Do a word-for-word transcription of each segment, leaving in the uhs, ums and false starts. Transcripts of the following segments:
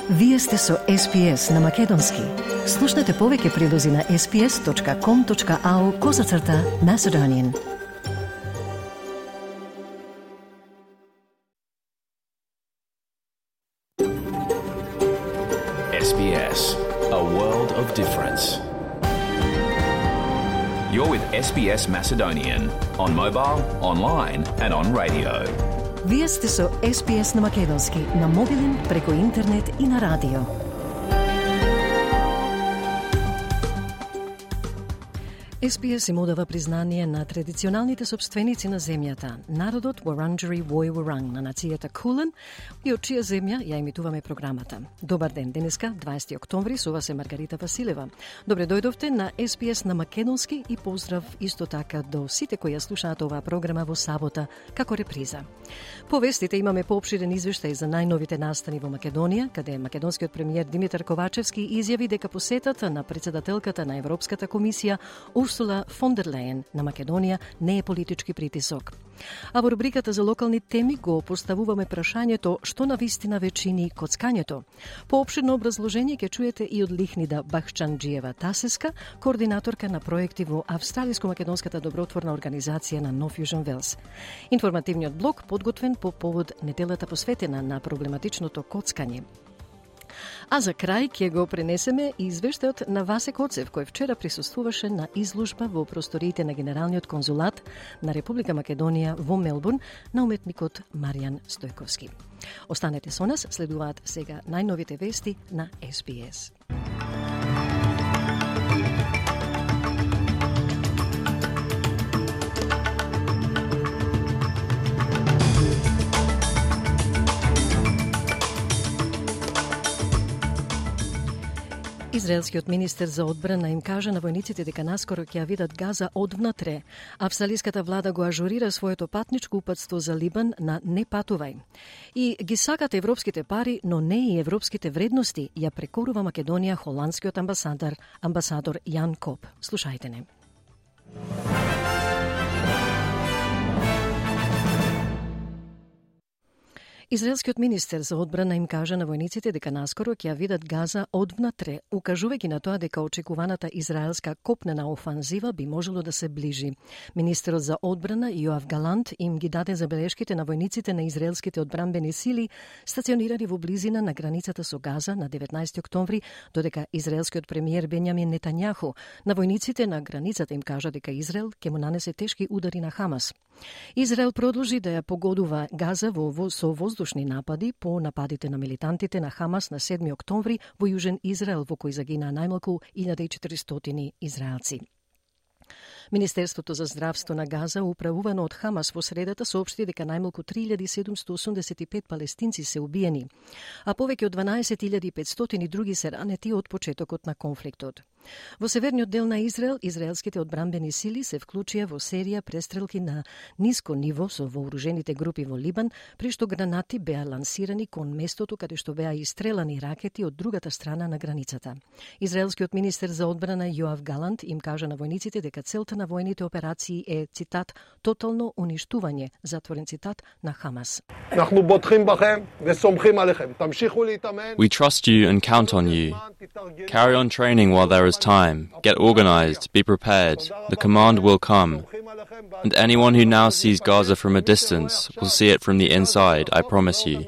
Вие сте со Ес Би Ес на Македонски. Слушнете повеќе прилози на ес би ес точка ком точка ау козацрта Macedonian. Ес Би Ес, a world of difference. You're with Ес Би Ес Macedonian on mobile, online and on radio. Вие сте со Ес Би Ес на Македонски, на мобилен, преку интернет и на радио. Ес Би Ес им одава признание на традиционалните собственици на земјата, народот Wurundjeri Woi Wurrung на нацијата Кулен, и од чија земја ја емитуваме програмата. Добар ден, денеска, дваесети октомври, со вас е Маргарита Василева. Добре дојдовте на Ес Би Ес на Македонски и поздрав исто така до сите кои ја слушаат оваа програма во сабота како реприза. По вестите имаме поопширен извештај за најновите настани во Македонија, каде македонскиот премиер Димитар Ковачевски изјави дека посетата на претседателката на Европската комисија Урсула фон дер Лејен на Македонија не е политички притисок. А во рубриката за локални теми го поставуваме прашањето што на вистина вечини коцкањето. Поопширно образложение ќе чуете и од Лихнида Бахчанџиева Тасеска, координаторка на проекти во Австралиско-македонската добротворна организација на No Fusion Wales. Информативниот блок подготвен по повод неделата посветена на проблематичното коцкање. А за крај ќе го пренесеме извештајот на Васе Коцев, кој вчера присуствуваше на изложба во просториите на Генералниот конзулат на Република Македонија во Мелбурн на уметникот Маријан Стојковски. Останете со нас, следуваат сега најновите вести на Ес Би Ес. Израелскиот министер за одбрана им кажа на војниците дека наскоро ќе ја видат Газа одвнатре. Австралиската влада го ажурира своето патничко упатство за Либан на не патувај. И ги сакат европските пари, но не и европските вредности, ја прекорува Македонија холандскиот амбасадор, амбасадор Јан Коп. Слушајте не. Израелскиот министер за одбрана им кажа на војниците дека наскоро ќе ја видат Газа одвнатре, укажувајќи на тоа дека очекуваната израелска копнена офанзива би можело да се ближи. Министерот за одбрана Јоав Галант им ги даде забелешките на војниците на израелските одбранбени сили стационирани во близина на границата со Газа на деветнаесети октомври, додека израелскиот премиер Бенјамин Нетањаху на војниците на границата им кажа дека Израел ќе му нанесе тешки удари на Хамас. Израел продолжи да ја погодува Газа во, во со воздушни напади по нападите на милитантите на Хамас на седми октомври во Јужен Израел, во кој загинаа најмалку илјада и четиристотини израелци. Министерството за здравство на Газа, управувано од Хамас во средата, соопшти дека најмалку три илјади седумстотини осумдесет и пет палестинци се убиени, а повеќе од дванаесет илјади и петстотини други се ранети од почетокот на конфликтот. Во северниот дел на Израел, израелските одбранбени сили се вклучија во серија престрелки на ниско ниво со вооружените групи во Либан, при што гранати беа лансирани кон местото каде што беа истрелани ракети од другата страна на границата. Израелскиот министер за одбрана Јоав Галант им кажа на војниците дека целта на војните операции е, цитат, тотално уништување, затворен цитат, на Хамас. We trust you and count on you. Carry on training while there is time. Get organized, be prepared. The command will come. And anyone who now sees Gaza from a distance will see it from the inside, I promise you.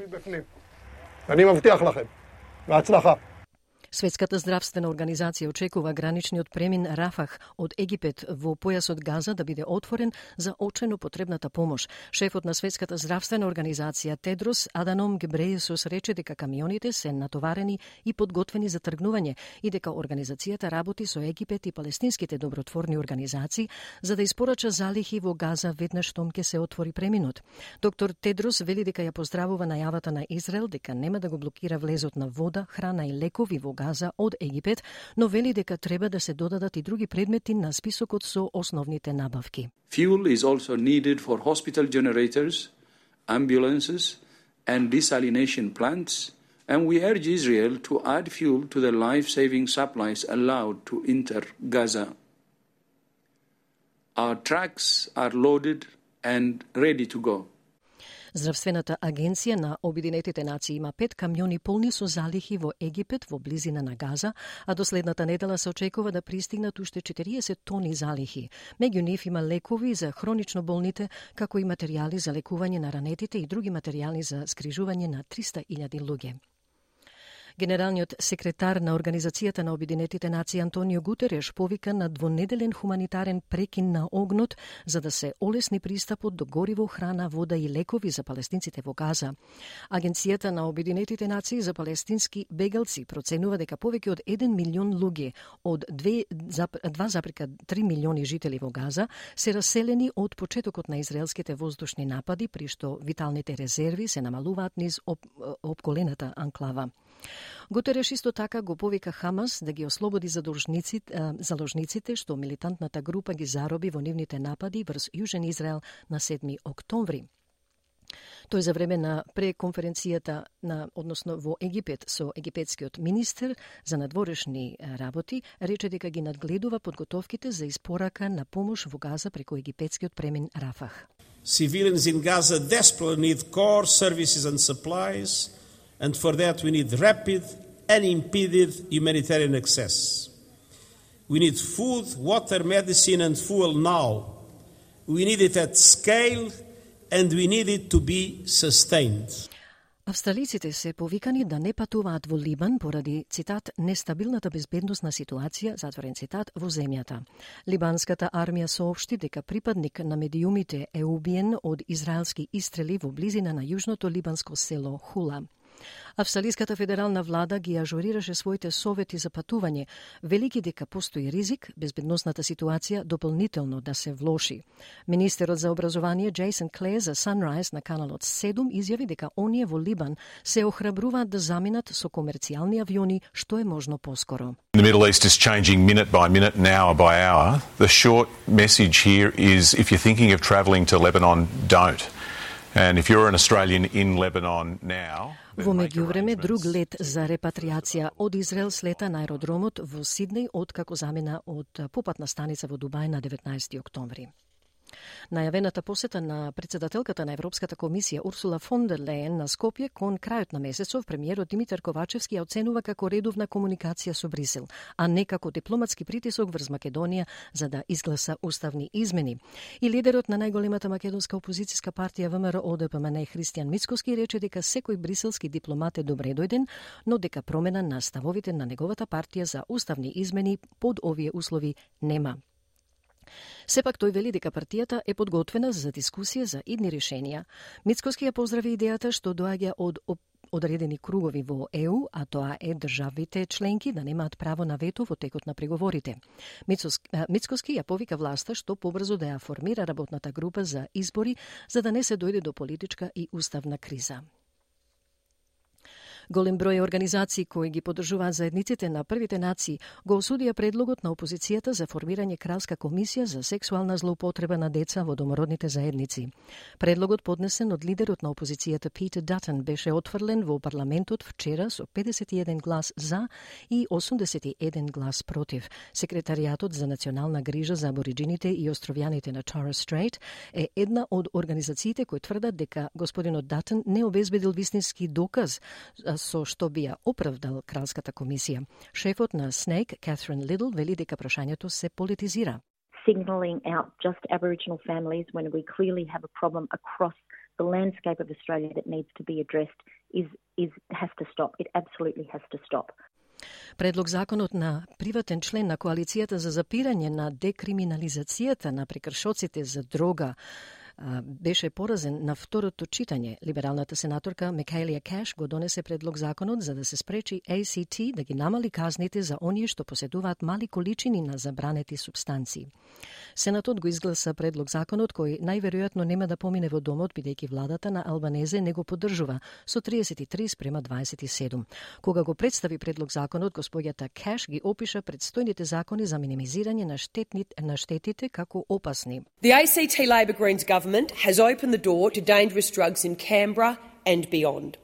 Светската здравствена организација очекува граничниот премин Рафах од Египет во појасот Газа да биде отворен за очено потребната помош. Шефот на Светската здравствена организација Тедрос Аданом Гебрејесус рече дека камионите се натоварени и подготвени за тргнување и дека организацијата работи со Египет и палестинските добротворни организации за да испорача залихи во Газа веднаш штом ќе се отвори преминот. Доктор Тедрос вели дека ја поздравува најавата на Израел дека нема да го блокира влезот на вода, храна и лекови во Газа од Египет, но вели дека треба да се додадат и други предмети на списокот со основните набавки. Fuel is also needed for hospital generators, ambulances and desalination plants, and we urge Israel to add fuel to the life-saving supplies allowed to enter Gaza. Our trucks are loaded and ready to go. Здравствената агенција на Обединетите нации има пет камиони полни со залихи во Египет во близина на Газа, а до следната недела се очекува да пристигнат уште четириесет тони залихи. Меѓу нив има лекови за хронично болните, како и материјали за лекување на ранетите и други материјали за згрижување на триста илјади луѓе. Генералниот секретар на Организацијата на Обединетите нации Антонио Гутереш повика на двонеделен хуманитарен прекин на огнот за да се олесни пристапот до гориво, храна, вода и лекови за палестинците во Газа. Агенцијата на Обединетите нации за палестински бегалци проценува дека повеќе од еден милион луѓе од два запирка три милиони жители во Газа се раселени од почетокот на израелските воздушни напади, при што виталните резерви се намалуваат низ об, обколената анклава. Гутереш исто така го повика Хамас да ги ослободи заложниците што милитантната група ги зароби во нивните напади врз Јужен Израел на седми октомври. Тој за време на преконференцијата на, односно во Египет со египетскиот министер за надворешни работи, рече дека ги надгледува подготовките за испорака на помош во Газа преку египетскиот премин Рафах. Civilians in Gaza desperately need core services and supplies. And for that we need rapid, unimpeded humanitarian access. We need food, water, medicine and fuel now. We need it at scale and we need it to be sustained. Австралиците се повикани да не патуваат во Либан поради, цитат, нестабилната безбедносна ситуација, затворен цитат, во земјата. Либанската армија соопшти дека припадник на медиумите е убиен од израелски истрели во близина на јужното либанско село Хула. Австралиската федерална влада ги ажурираше своите совети за патување, велики дека постои ризик безбедносната ситуација дополнително да се влоши. Министерот за образование Джейсон Клеер за Sunrise на каналот седум изјави дека оние во Либан се охрабруваат да заминат со комерцијални авиони што е можно поскоро. The Middle East is changing minute by minute and hour by hour. The short message here is if you're thinking of travelling to Lebanon, don't. And if you're an Australian in Lebanon now, во меѓувреме, друг лет за репатриација од Израел слета на аеродромот во Сиднеј откако замина од попатна станица во Дубај на деветнаесети октомври. Најавената посета на председателката на Европската комисија Урсула фон дер Лејен на Скопје кон крајот на месецов премиерот Димитар Ковачевски ја оценува како редовна комуникација со Брисел, а не како дипломатски притисок врз Македонија за да изгласа уставни измени. И лидерот на најголемата македонска опозицијска партија ВМРО Д П М Н Христијан Мицкоски рече дека секој бриселски дипломат е добре дојден, но дека промена на ставовите на неговата партија за уставни измени под овие услови нема. Сепак тој вели дека партијата е подготвена за дискусија за идни решенија. Мицкоски ја поздрави идејата што доаѓа од одредени кругови во Е У, а тоа е државите членки да немаат право на вето во текот на преговорите. Мицкоски ја повика власта што побрзо да ја формира работната група за избори за да не се дојде до политичка и уставна криза. Голем број организации кои ги поддржуваат заедниците на првите нации го осудија предлогот на опозицијата за формирање кралска комисија за сексуална злоупотреба на деца во домородните заедници. Предлогот поднесен од лидерот на опозицијата Питер Датън беше отфрлен во парламентот вчера со педесет и еден глас за и осумдесет и еден глас против. Секретаријатот за национална грижа за абориджините и островјаните на Торres Strait е една од организациите кои тврдат дека господинот Датън не обезбедил вистински доказ со што би ја оправдал кралската комисија. Шефот на СНЕЙК, Катрин Лидл, вели дека прашањето се политизира. Signaling out just Aboriginal families when we clearly have a problem across the landscape of Australia that needs to be addressed is is has to stop. It absolutely has to stop. Предлог законот на приватен член на коалицијата за запирање на декриминализацијата на прекршоците за дрога беше поразен на второто читање. Либералната сенаторка Микаелија Кеш го донесе предлог законот за да се спречи А Ц Т да ги намали казните за оние што поседуваат мали количини на забранети супстанции. Сенатот го изгласа предлог законот кој најверојатно нема да помине во домот бидејќи владата на Албанезе не го поддржува со триесет и три спрема дваесет и седум. Кога го представи предлог законот, господјата Кеш ги опиша предстојните закони за минимизирање на штетните на штетите како опасни. The A C T Labor Greens government has opened the door to dangerous drugs in Canberra and beyond.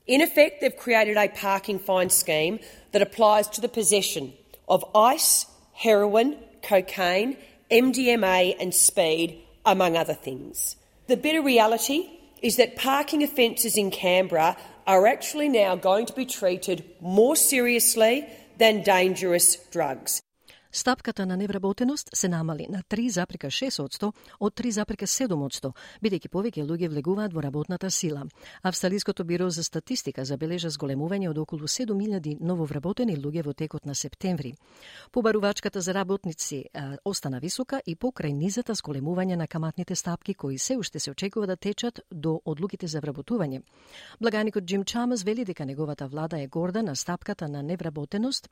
In effect, they've created a parking fine scheme that applies to the possession of ice, heroin, cocaine, M D M A and speed, among other things. The bitter reality is that parking offences in Canberra are actually now going to be treated more seriously than dangerous drugs. Стапката на невработеност се намали на три запирка шест одсто од три запирка седум одсто, бидејќи повеќе луѓе влегуваат во работната сила. Австралиското биро за статистика забележа зголемување од околу седум илјади нововработени луѓе во текот на септември. Побарувачката за работници а, остана висока и покрај низата зголемување на каматните стапки кои се уште се очекува да течат до одлуките за вработување. Благаникот Джим Чамас вели дека неговата влада е горда на стапката на невработеност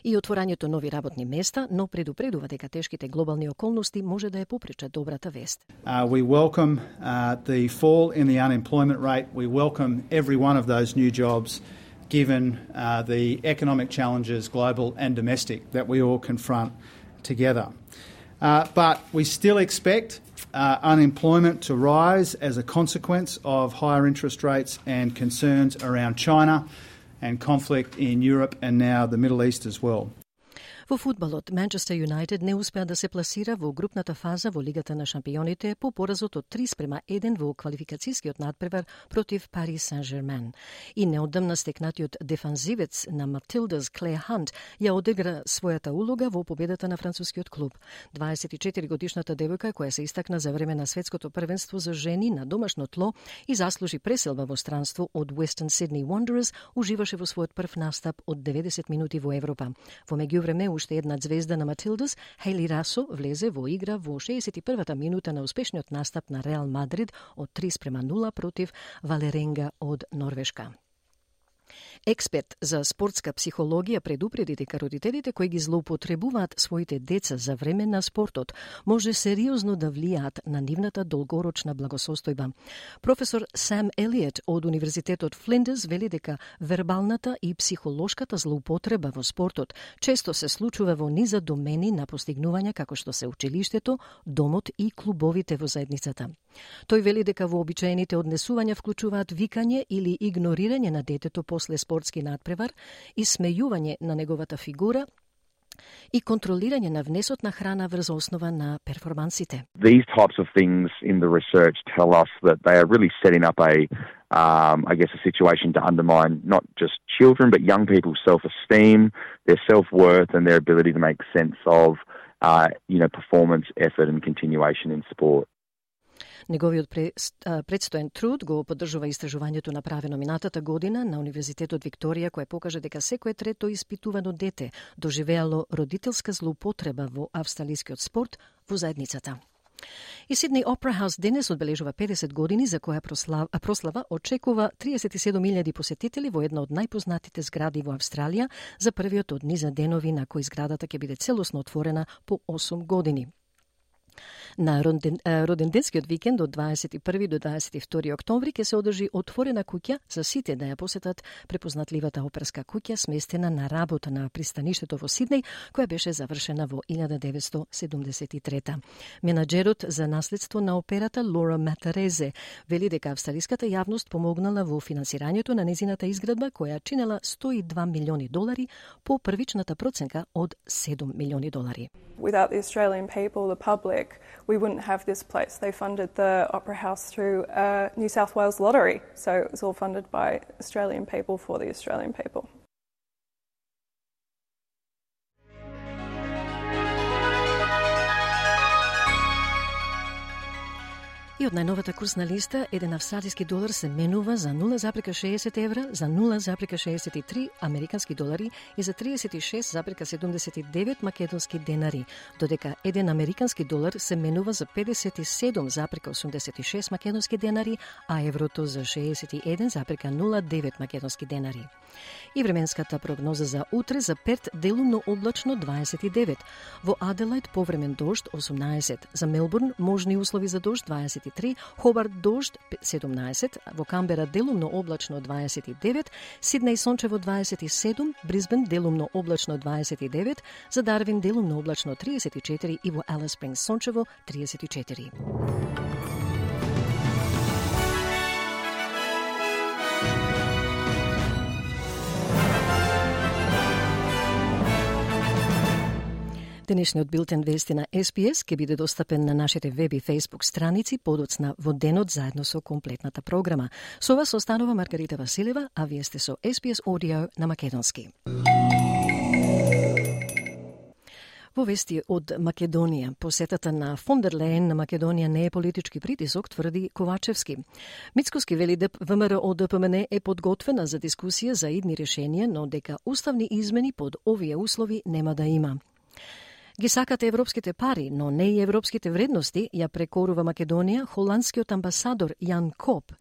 и отворањето нови работни места, но предупредува дека тешките глобални околности може да ја попречат добрата вест. Uh, we welcome uh, the fall in the unemployment rate. We welcome every one of those new jobs given uh, the economic challenges, global and domestic, that we all confront together. Uh, but we still expect uh, unemployment to rise as a consequence of higher interest rates and concerns around China and conflict in Europe and now the Middle East as well. Во фудбалот, Манчестер Юнайтед не успеа да се пласира во групната фаза во Лигата на шампионите по поразот од три спрема еден во квалификацијскиот надпревар против Пари Сен-Жермен. И неодамна стекнатиот дефанзивец на Матилдас Клеј Хант ја одигра својата улога во победата на францускиот клуб. дваесет и четири годишната девојка која се истакна за време на светското првенство за жени на домашно тло и заслужи преселба во странство од Western Sydney Wanderers, уживаше во својот прв настап од деветдесет минути во Европа. Во меѓувреме уште една звезда на Матилдас, Хейли Расо, влезе во игра во шеесет и првата минута на успешниот настап на Реал Мадрид од три спрема нула против Валеренга од Норвешка. Експерт за спортска психологија предупреди дека родителите кои ги злоупотребуваат своите деца за време на спортот може сериозно да влијаат на нивната долгорочна благосостојба. Професор Сам Елиот од Универзитетот Флиндерс вели дека вербалната и психолошката злоупотреба во спортот често се случува во низа домени на постигнувања како што се училиштето, домот и клубовите во заедницата. Тој вели дека вообичаените однесувања вклучуваат викање или игнорирање на детето после спортски надпревар, исмејување на неговата фигура и контролирање на внесот на храна врз основа на перформансите. These types of things in the research tell us that they are really setting up a, um, I guess, a situation to undermine not just children but young people's self-esteem, their self-worth and their ability to make sense of, uh, you know, performance, effort and continuation in sport. Неговиот предстоен труд го поддржува истражувањето направено минатата година на Универзитетот Викторија, кое покажа дека секое трето испитувано дете доживеало родителска злоупотреба во австралискиот спорт во заедницата. И Сиднеј Опера Хаус денес одбележува педесет години за која прослава, прослава очекува триесет и седум илјади посетители во една од најпознатите згради во Австралија за првиот од низа денови на кои зградата ќе биде целосно отворена по осум години. На роденденскиот викенд од дваесет и први до дваесет и втори октомври ќе се одржи отворена куќа за сите да ја посетат препознатливата оперска куќа сместена на работа на пристаништето во Сиднеј, која беше завршена во илјада деветстотини седумдесет и трета. Менаџерот за наследство на операта Лора Матарезе вели дека австралиската јавност помогнала во финансирањето на незината изградба која чинела сто и два милиони долари по првичната проценка од седум милиони долари. Without the Australian people, the public, we wouldn't have this place. They funded the Opera House through a New South Wales lottery, so it was all funded by Australian people for the Australian people. И од најновата курсна листа, еден австралиски долар се менува за нула запирка шеесет евра, за нула запирка шеесет и три американски долари и за тридесет и шест запирка седумдесет и девет македонски денари, додека еден американски долар се менува за педесет и седум запирка осумдесет и шест македонски денари, а еврото за шеесет и еден запирка нула девет македонски денари. И временската прогноза за утре за Перт делумно облачно дваесет и девет, во Аделајд повремен дожд осумнаесет, за Мелбурн можни услови за дожд дваесет и три, Хобарт дожд седумнаесет, во Камбера делумно облачно дваесет и девет, Сиднеј сончево дваесет и седум, Брисбен делумно облачно дваесет и девет, за Дарвин делумно облачно триесет и четири и во Алис Спрингс сончево триесет и четири. Денешниот билтен вести на Ес Би Ес ќе биде достапен на нашите веб и фейсбук страници подоцна во денот заедно со комплетната програма. Со вас останува Маргарита Василева, а вие сте со Ес Би Ес Audio на македонски. Во вести од Македонија, посетата на фон дер Лејен на Македонија не е политички притисок, тврди Ковачевски. Мицкоски вели дека ВМРО Д П М Н е подготвена за дискусија за идни решенија, но дека уставни измени под овие услови нема да има. Ги сакате европските пари, но не и европските вредности, ја прекорува Македонија холандскиот амбасадор Јан Коп,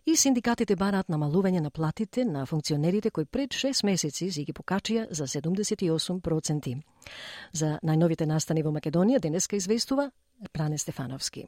и синдикатите бараат намалување на платите на функционерите кои пред шест месеци си ги покачија за седумдесет и осум проценти. За најновите настани во Македонија денеска известува Пране Стефановски.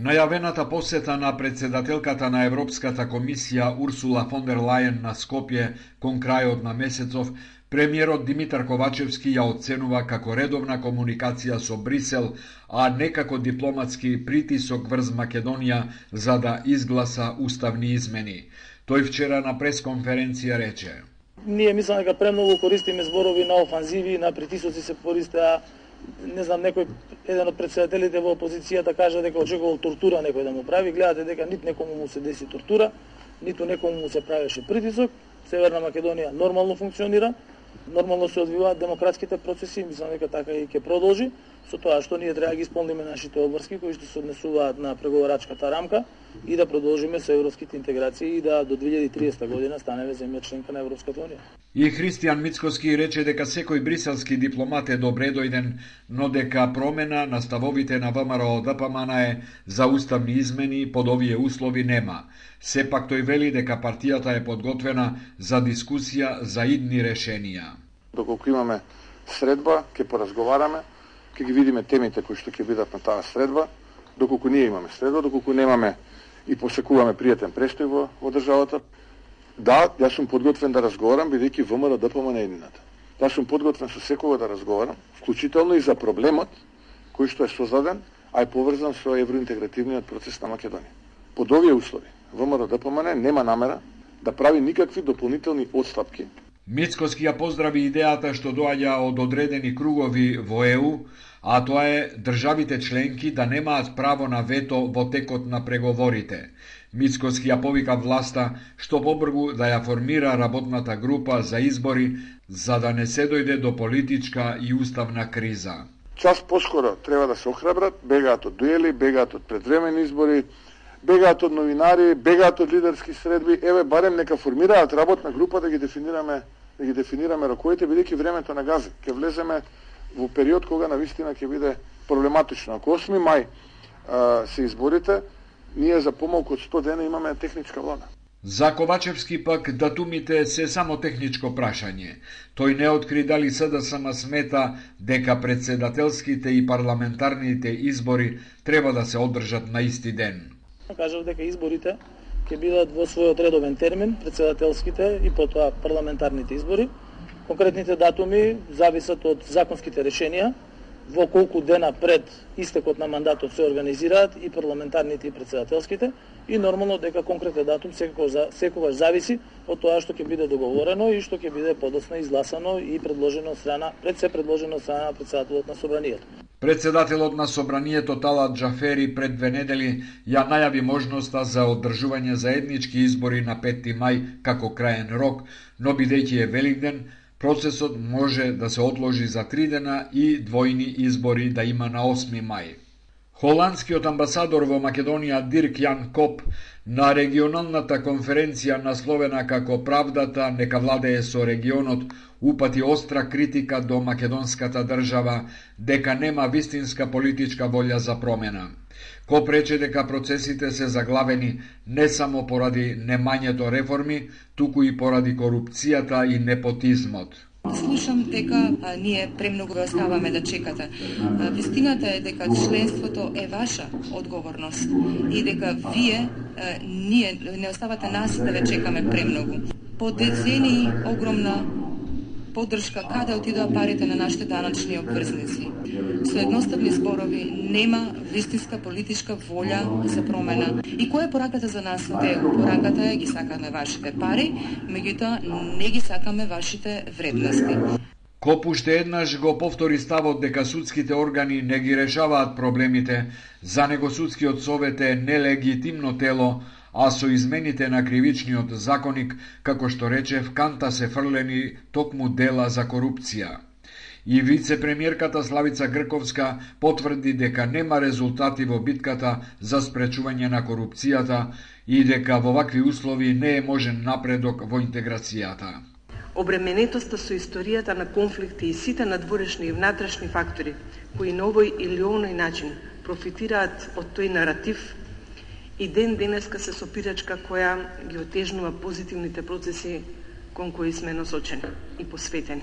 Најавената посета на председателката на Европската комисија Урсула фон дер Лајен на Скопје кон крајот на месецов, премиерот Димитар Ковачевски ја оценува како редовна комуникација со Брисел, а не како дипломатски притисок врз Македонија за да изгласа уставни измени. Тој вчера на пресконференција рече: Ние мислам дека премногу користиме зборови на офанзиви, на притисоци се користеа. Не знам, некој, еден од председателите во опозицијата кажа дека очекувал тортура некој да му прави. Гледате дека нит некому му се деси тортура, ниту некому му се правеше притисок. Северна Македонија нормално функционира, нормално се одвиваат демократските процеси, мислам дека така и ќе продолжи, со тоа што ние треба да ги исполниме нашите обврски кои што се однесуваат на преговорачката рамка и да продолжиме со европските интеграции и да до две илјади и триесета година станеме земја членка на Европската унија. И Христијан Мицкоски рече дека секој бриселски дипломат е добре дојден, но дека промена на ставовите на ВМРО Д П М Н е за уставни измени под овие услови нема. Сепак тој вели дека партијата е подготвена за дискусија за идни решенија. Доколку имаме средба, ќе поразговараме, ќе ги видиме темите кои што ќе бидат на таа средба. Доколку ние имаме средба, доколку немаме и посекуваме пријатен престој во, во државата, да, јас сум подготвен да разговарам, бидејќи ВМРО Д П М Н е едината. Јас сум подготвен со секого да разговарам, вклучително и за проблемот кој што е создаден, а е поврзан со евроинтегративниот процес на Македонија. Под овие услови, ВМРО Д П М Н нема намера да прави никакви дополнителни отстапки. Мицкоски ја поздрави идејата што доаѓа од одредени кругови во Е У, а тоа е државите членки да немаат право на вето во текот на преговорите. Мицкоски ја повика власта што побргу да ја формира работната група за избори, за да не се дојде до политичка и уставна криза. Час поскоро треба да се охрабрат, бегаат од дуели, бегаат од предвремени избори, бегаат од новинари, бегаат од лидерски средби. Еве барем нека формираат работна група да ги дефинираме, да ги дефинираме роковите, бидејќи времето на гази. Ќе влеземе во период кога навистина ќе биде проблематично. Ако осми мај а, се изборите, ние за помалку од сто дена имаме техничка влада. За Ковачевски пак датумите се само техничко прашање. Тој не откри дали С Д С М смета дека председателските и парламентарните избори треба да се одржат на исти ден. Кажав дека изборите ќе бидат во својот редовен термин, председателските и потоа парламентарните избори. Конкретните датуми зависат од законските решенија, во колку дена пред истекот на мандатот се организираат и парламентарните и председателските, и нормално дека конкретен датум секогаш зависи од тоа што ќе биде договорено и што ќе биде подоцна изгласано и предложено од страна, пред се предложено од страна на председателот на собранието. Председателот на собранието Талат Џафери пред две недели ја најави можноста за одржување заеднички избори на петти мај како краен рок, но бидејќи е Великден, процесот може да се отложи за три дена и двојни избори да има на осми мај. Холандскиот амбасадор во Македонија Дирк Јан Коп на регионалната конференција насловена како Правдата нека владее со регионот упати остра критика до македонската држава дека нема вистинска политичка волја за промена. Коп рече дека процесите се заглавени не само поради немањето реформи, туку и поради корупцијата и непотизмот. Слушам дека а, ние премногу ве оставаме да чекате. А, вистината е дека членството е ваша одговорност и дека вие а, ние не оставате нас да ве чекаме премногу. По децении огромна поддршка каде отидоа парите на нашите даначни обврзници. Со едноставни зборови нема вистинска политичка волја за промена. И која е пораката за нас од ЕУ? Пораката е ги сакаме вашите пари, меѓутоа не ги сакаме вашите вредности. Коп уште еднаш го повтори ставот дека судските органи не ги решаваат проблемите, за него судскиот совет е нелегитимно тело, а со измените на кривичниот законник, како што рече, в канта се фрлени токму дела за корупција. И вице-премиерката Славица Грковска потврди дека нема резултати во битката за спречување на корупцијата и дека во вакви услови не е можен напредок во интеграцијата. Обременетоста со историјата на конфликти и сите надворешни и внатрешни фактори, кои на овој или оној начин профитираат од тој наратив, и ден денеска се сопирачка која ги отежнува позитивните процеси кон кои сме насочени и посветени.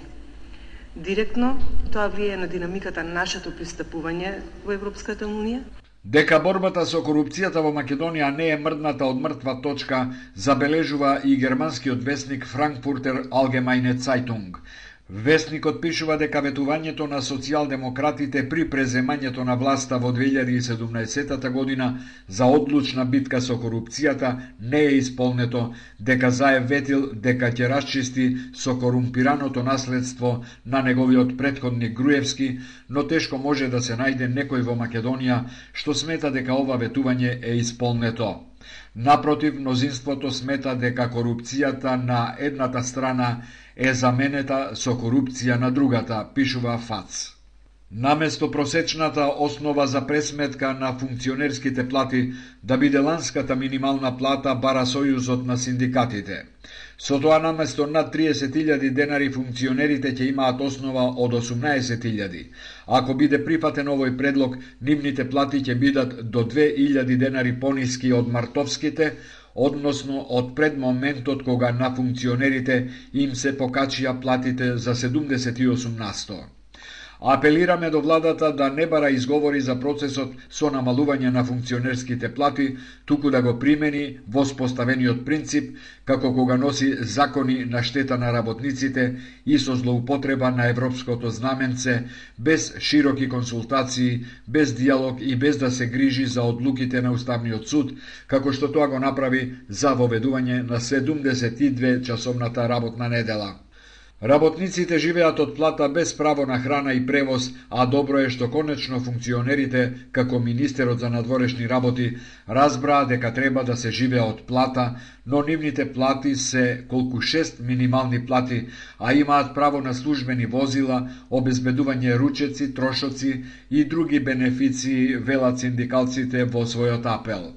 Директно тоа влијае на динамиката на нашето пристапување во Европската унија. Дека борбата со корупцијата во Македонија не е мрдната од мртва точка, забележува и германскиот весник Frankfurter Allgemeine Zeitung. Весникот пишува дека ветувањето на социјалдемократите при преземањето на власта во две илјади и седумнаесетта година за одлучна битка со корупцијата не е исполнето, дека Заев ветил дека ќе расчисти со корумпираното наследство на неговиот претходник Груевски, но тешко може да се најде некој во Македонија што смета дека ова ветување е исполнето. Напротив, мнозинството смета дека корупцијата на едната страна е заменета со корупција на другата, пишува ФАЦ. Наместо просечната основа за пресметка на функционерските плати да биде ланската минимална плата, бара Сојузот на синдикатите. Со тоа наместо над триесет илјади денари функционерите ќе имаат основа од осумнаесет илјади. Ако биде прифатен овој предлог, нивните плати ќе бидат до две илјади денари пониски од мартовските, односно од пред моментот кога на функционерите им се покачија платите за седумдесет и осум на сто. Апелираме до владата да не бара изговори за процесот со намалување на функционерските плати, туку да го примени воспоставениот принцип, како кога носи закони на штета на работниците и со злоупотреба на европското знаменце, без широки консултации, без диалог и без да се грижи за одлуките на Уставниот суд, како што тоа го направи за воведување на седумдесет и две часовната работна недела. Работниците живеат од плата без право на храна и превоз, а добро е што конечно функционерите, како министерот за надворешни работи, разбраа дека треба да се живее од плата, но нивните плати се колку шест минимални плати, а имаат право на службени возила, обезбедување ручеци, трошоци и други бенефиции, велат синдикалците во својот апел.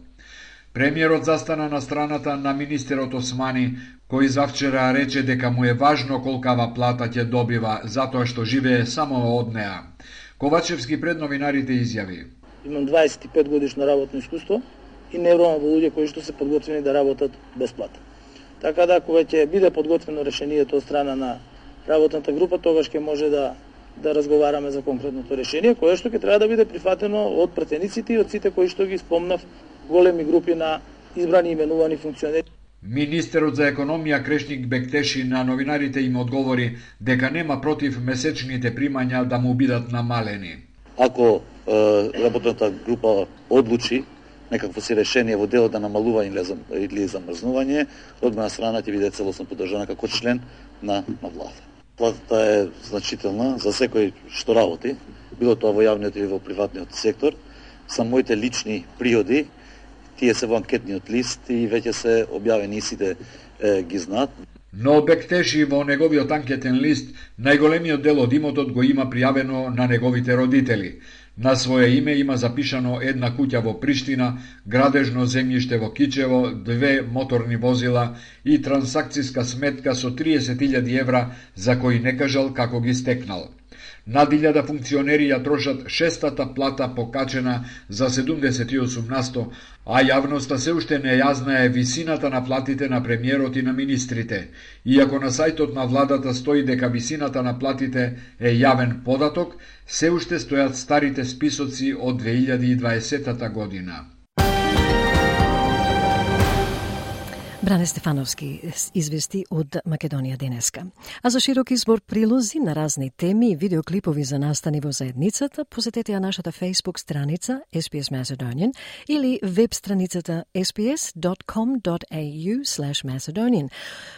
Премиерот застана на страната на министерот Османи, кој завчера рече дека му е важно колкава плата ќе добива, затоа што живее само од неа. Ковачевски пред новинарите изјави: Имам дваесет и пет годишно работно искуство и не верувам во луѓе кои што се подготвени да работат без плата. Така да, кога ќе биде подготвено решението од страна на работната група, тогаш ќе може да да разговараме за конкретното решение, кое што ќе треба да биде прифатено од пратениците и од сите кои што ги спомнав, големи групи на избрани и именувани функционери. Министерот за економија Крешник Бектеши на новинарите им одговори дека нема против месечните примања да му бидат намалени. Ако е, работната група одлучи некакво си решение во делот да намалува или замрзнување, од моја страна ќе биде целосно поддржана како член на, на влада. Платата е значителна за секој што работи, било тоа во јавниот или во приватниот сектор. Са моите лични приоди, тие се во анкетниот лист и веќе се објавени и сите е, ги знаат. Но Бектеши во неговиот анкетен лист најголемиот дел од имотот го има пријавено на неговите родители. На своје име има запишано една куќа во Приштина, градежно земјиште во Кичево, две моторни возила и трансакциска сметка со триесет илјади евра за кои не кажал како ги стекнал. Над илјада функционери ја трошат шестата плата покачена за седумдесет и осум на сто, а јавноста се уште не ја знае висината на платите на премиерот и на министрите. Иако на сајтот на владата стои дека висината на платите е јавен податок, се уште стојат старите списоци од две илјади и дваесетта година. Бране Стефановски извести од Македонија денеска. А за широк избор прилози на разни теми и видеоклипови за настани во заедницата, посетете ја нашата Facebook страница S B S Macedonian или веб страницата s b s dot com dot a u slash macedonian.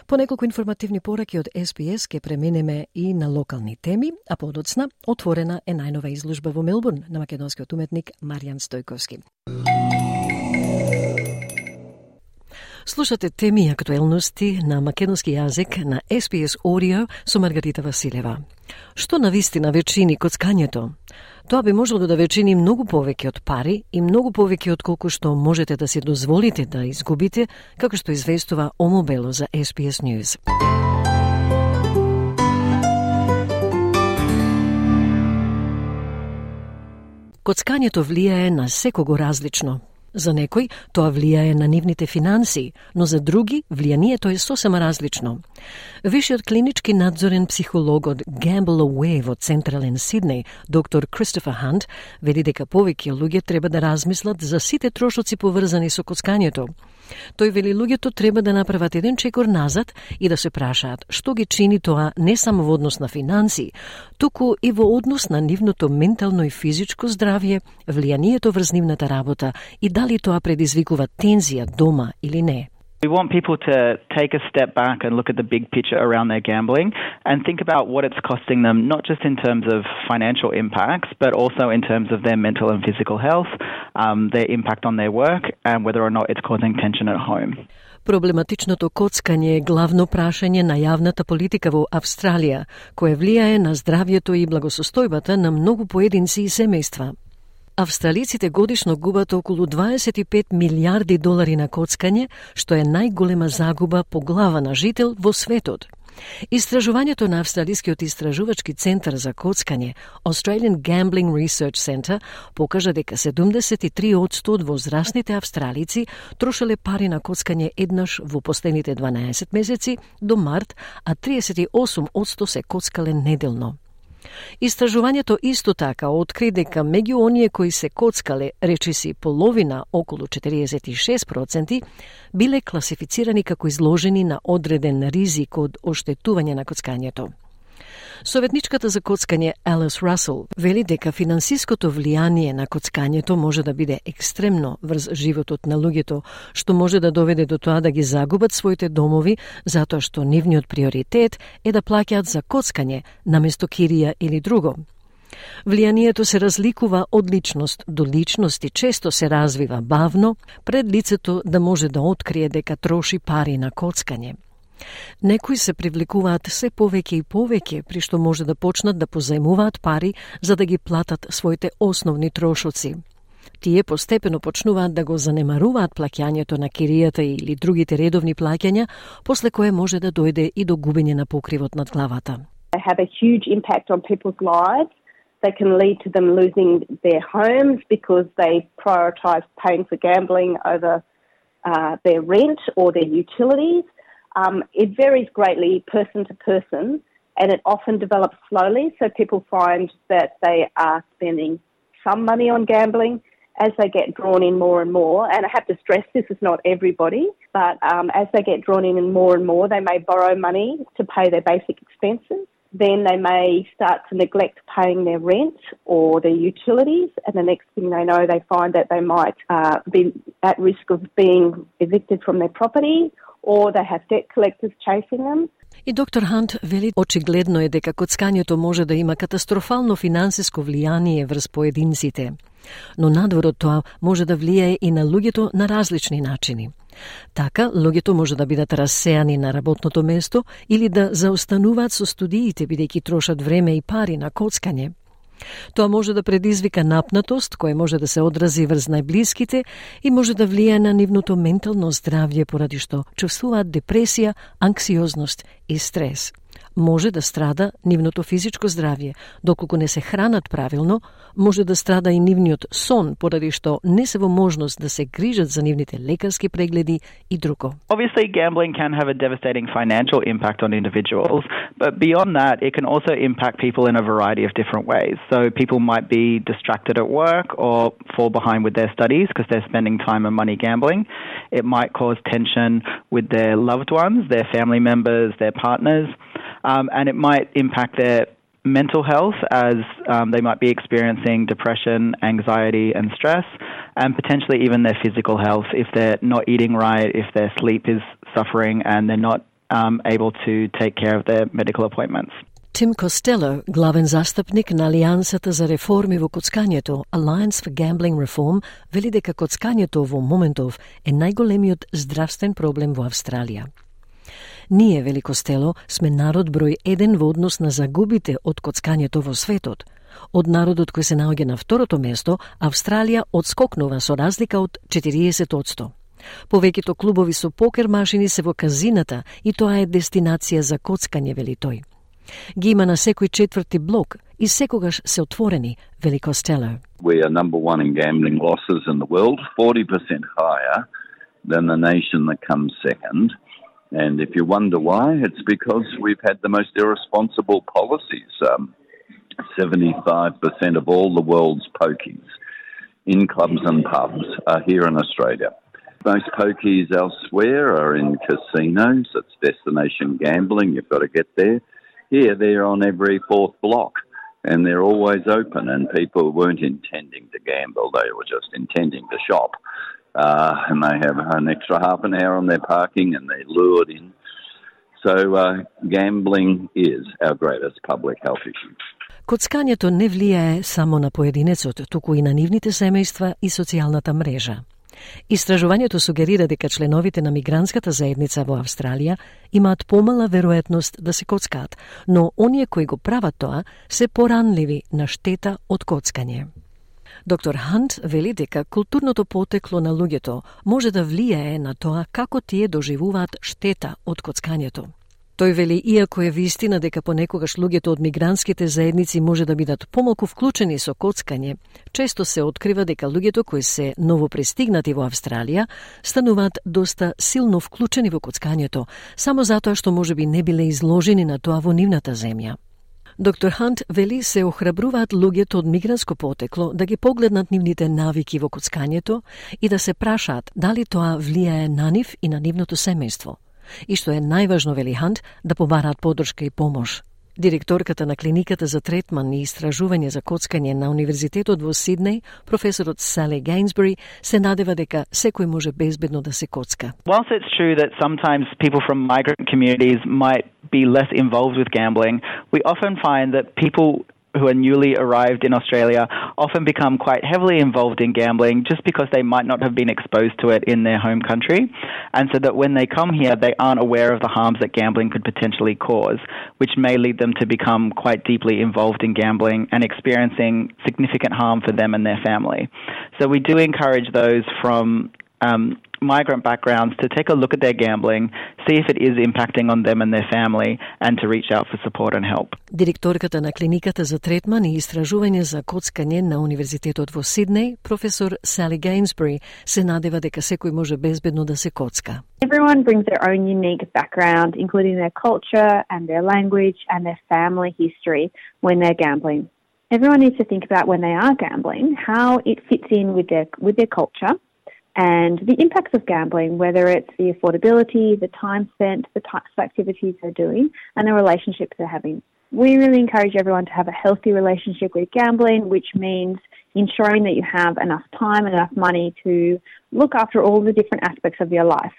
По неколку информативни пораки од S B S ке преминеме и на локални теми, а подоцна отворена е најнова изложба во Мелбурн на македонскиот уметник Маријан Стојковски. Слушате теми и актуелности на македонски јазик на S B S Audio со Маргарита Василева. Што навистина вечини коцкањето? Тоа би можело да вечини многу повеќе од пари и многу повеќе од колку што можете да си дозволите да изгубите, како што известува Омо Бело за S B S News. Коцкањето влијае на секого различно. За некој тоа влијае на нивните финанси, но за други влијанието е сосема различно. Вишиот клинички надзорен психолог од Gamble Away во Централен Сиднеј, доктор Кристофер Хант, вели дека повеќе луѓе треба да размислат за сите трошоци поврзани со коцкањето. Тој вели луѓето треба да направат еден чекор назад и да се прашаат што ги чини тоа не само во однос на финанси, туку и во однос на нивното ментално и физичко здравје, влијанието врз нивната работа и дали тоа предизвикува тензија дома или не. We want people to take a step back and look at the big picture around their gambling and think about what it's costing them, not just in terms of financial impacts, but also in terms of their mental and physical health, um, their impact on their work, and whether or not it's causing tension at home. Проблематичното коцкање е главно прашање на јавната политика во Австралија, кое влијае на здравјето и благосостојбата на многу поединци и семејства. Австралиците годишно губат околу дваесет и пет милиарди долари на коцкање, што е најголема загуба по глава на жител во светот. Истражувањето на Австралискиот истражувачки центар за коцкање, Australian Gambling Research Center, покажа дека седумдесет и три одсто од возрастните австралици трошеле пари на коцкање еднаш во последните дванаесет месеци до март, а триесет и осум одсто се коцкале неделно. Истражувањето исто така откри дека меѓу оние кои се коцкале, речиси половина, околу четириесет и шест проценти, биле класифицирани како изложени на одреден ризик од оштетување на коцкањето. Советничката за коцкање Алис Расел вели дека финансиското влијание на коцкањето може да биде екстремно врз животот на луѓето, што може да доведе до тоа да ги загубат своите домови, затоа што нивниот приоритет е да плаќаат за коцкање наместо кирија или друго. Влијанието се разликува од личност до личност и често се развива бавно, пред лицето да може да открие дека троши пари на коцкање. Некои се привлекуваат се повеќе и повеќе, при што може да почнат да позајмуваат пари за да ги платат своите основни трошоци. Тие постепено почнуваат да го занемаруваат плаќањето на киријата или другите редовни плаќања, после кое може да дојде и до губење на покривот над главата. They have a huge impact on people's lives. They can lead to them losing their homes because they prioritise paying for gambling over uh, their rent or their utilities. Um, it varies greatly person to person, and it often develops slowly, so people find that they are spending some money on gambling as they get drawn in more and more. And I have to stress this is not everybody, but um, as they get drawn in more and more, they may borrow money to pay their basic expenses. Then they may start to neglect paying their rent or their utilities, and the next thing they know, they find that they might uh, be at risk of being evicted from their property, or they have debt collectors chasing them. И доктор Хант вели очигледно е дека коцкањето може да има катастрофално финансиско влијание врз поединците. Но надвор од тоа може да влијае и на луѓето на различни начини. Така, луѓето може да бидат рассејани на работното место или да заостануваат со студиите бидејќи трошат време и пари на коцкање. Тоа може да предизвика напнатост, која може да се одрази врз најблиските и може да влијае на нивното ментално здравје поради што чувствуваат депресија, анксиозност и стрес. може да страда нивното физичко здравје, доколку не се хранат правилно, може да страда и нивниот сон, поради што не се во можност да се грижат за нивните лекарски прегледи и друго. Obviously, gambling can have a devastating financial impact on individuals, but beyond that, it can also impact people in a variety of different ways. So people might be distracted at work or fall behind with their studies because they're spending time and money gambling. It might cause tension with their loved ones, their family members, their partners, um, and it might impact their mental health as um, they might be experiencing depression, anxiety and stress, and potentially even their physical health if they're not eating right, if their sleep is suffering and they're not um, able to take care of their medical appointments. Tim Costello, главен застапник на Алијансата за реформи во коцкањето, Alliance for Gambling Reform, вели дека коцкањето во моментов е најголемиот здравствен проблем во Австралија. Ние, вели Костело, сме народ број еден во однос на загубите од коцкањето во светот. Од народот кој се наоѓа на второто место, Австралија одскокнува со разлика од четириесет одсто. Повеќето клубови со покер машини се во казината и тоа е дестинација за коцкање, вели тој. Ги има на секој четврти блок и секогаш се отворени, вели Костело. We are number one in gambling losses in the world, forty percent higher than the nation that comes second. And if you wonder why, it's because we've had the most irresponsible policies. Um, seventy-five percent of all the world's pokies in clubs and pubs are here in Australia. Most pokies elsewhere are in casinos. It's destination gambling. You've got to get there. Here, they're on every fourth block, and they're always open, and people weren't intending to gamble. They were just intending to shop. Uh, and they have an extra half an hour on their parking, and they're lured in. So uh, gambling is our greatest public health issue. Коцкањето не влијае само на поединецот, туку и на нивните семејства и социјалната мрежа. Истражувањето сугерира дека членовите на мигрантската заедница во Австралија имаат помала веројатност да се коцкаат, но оние кои го прават тоа се поранливи на штета од коцкање. Доктор Хант вели дека културното потекло на луѓето може да влијае на тоа како тие доживуваат штета од коцкањето. Тој вели, иако е вистина дека понекогаш луѓето од мигрантските заедници може да бидат помалку вклучени со коцкање, често се открива дека луѓето кои се новопристигнати во Австралија стануваат доста силно вклучени во коцкањето, само затоа што можеби не биле изложени на тоа во нивната земја. Доктор Хант вели се охрабруваат луѓето од мигрантско потекло да ги погледнат нивните навики во коцкањето и да се прашаат дали тоа влијае на нив и на нивното семејство. И што е најважно, вели Хант, да побараат поддршка и помош. Директорката на клиниката за третман и истражување за коцкање на Универзитетот во Сиднеј, професорот Сали Гейнсбери, се надева дека секој може безбедно да се коцка. Whilst it's true that sometimes people from migrant communities might be less involved with gambling, we often find that people who are newly arrived in Australia often become quite heavily involved in gambling just because they might not have been exposed to it in their home country, and so that when they come here they aren't aware of the harms that gambling could potentially cause, which may lead them to become quite deeply involved in gambling and experiencing significant harm for them and their family. So we do encourage those from um, migrant backgrounds to take a look at their gambling, see if it is impacting on them and their family, and to reach out for support and help. Директорката на клиниката за третман и истражување за коцкање на Универзитетот во Сиднеј, професор Сали Гейнсбери, се надева дека секој може безбедно да се коцка. Everyone brings their own unique background, including their culture and their language and their family history when they're gambling. Everyone needs to think about when they are gambling, how it fits in with their with their culture, and the impacts of gambling, whether it's the affordability, the time spent, the types of activities they're doing, and the relationships they're having. We really encourage everyone to have a healthy relationship with gambling, which means ensuring that you have enough time and enough money to look after all the different aspects of your life.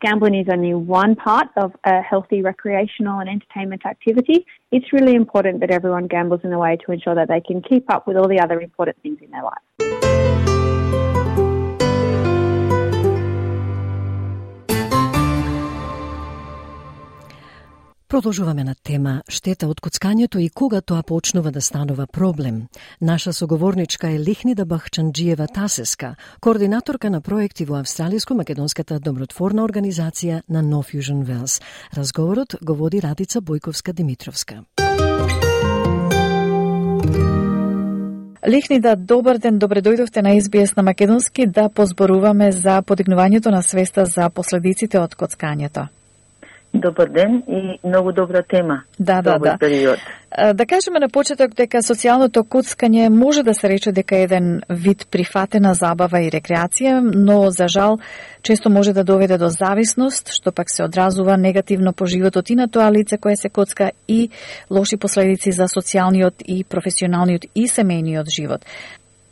Gambling is only one part of a healthy recreational and entertainment activity. It's really important that everyone gambles in a way to ensure that they can keep up with all the other important things in their life. Продолжуваме на тема штета од коцкањето и кога тоа почнува да станува проблем. Наша соговорничка е Лихнида Бахчанџиева Тасеска, координаторка на проекти во Австралиско-македонската добротворна организација на No Fusion Wells. Разговорот го води Радица Бојковска-Димитровска. Лихнида, добар ден, добре дојдовте на Ес Би Ес на македонски да позборуваме за подигнувањето на свеста за последиците од коцкањето. Добар ден и многу добра тема. Да, да, да. Период. Да кажеме на почеток дека социјалното коцкање може да се рече дека е еден вид прифатена забава и рекреација, но за жал често може да доведе до зависност, што пак се одразува негативно по животот и на тоа лице кое се коцка и лоши последици за социјалниот и професионалниот и семејниот живот.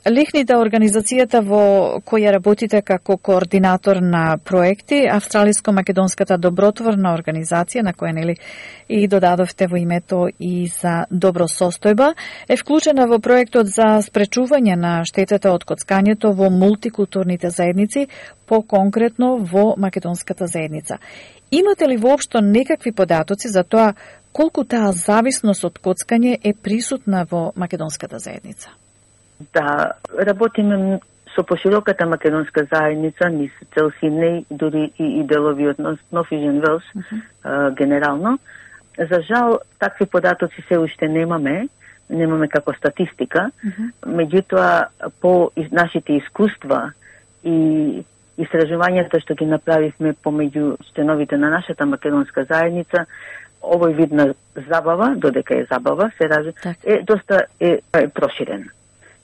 Лихнида, организацијата во која работите како координатор на проекти, Австралиско-македонската добротворна организација, на која нели и додадовте во името и за добро состојба, е вклучена во проектот за спречување на штетата од коцкањето во мултикултурните заедници, по-конкретно во македонската заедница. Имате ли воопшто некакви податоци за тоа колку таа зависност од коцкање е присутна во македонската заедница? Да, работиме со пошироката македонска заедница, низ цел Сиднеј, дури и, и делови од No Fusion Wells, uh-huh. а, генерално. За жал, такви податоци се уште немаме, немаме како статистика, uh-huh. меѓутоа по нашите искуства и истражувањата што ги направивме помеѓу членовите на нашата македонска заедница, овој вид на забава, додека е забава, се ража, е доста е, е проширен.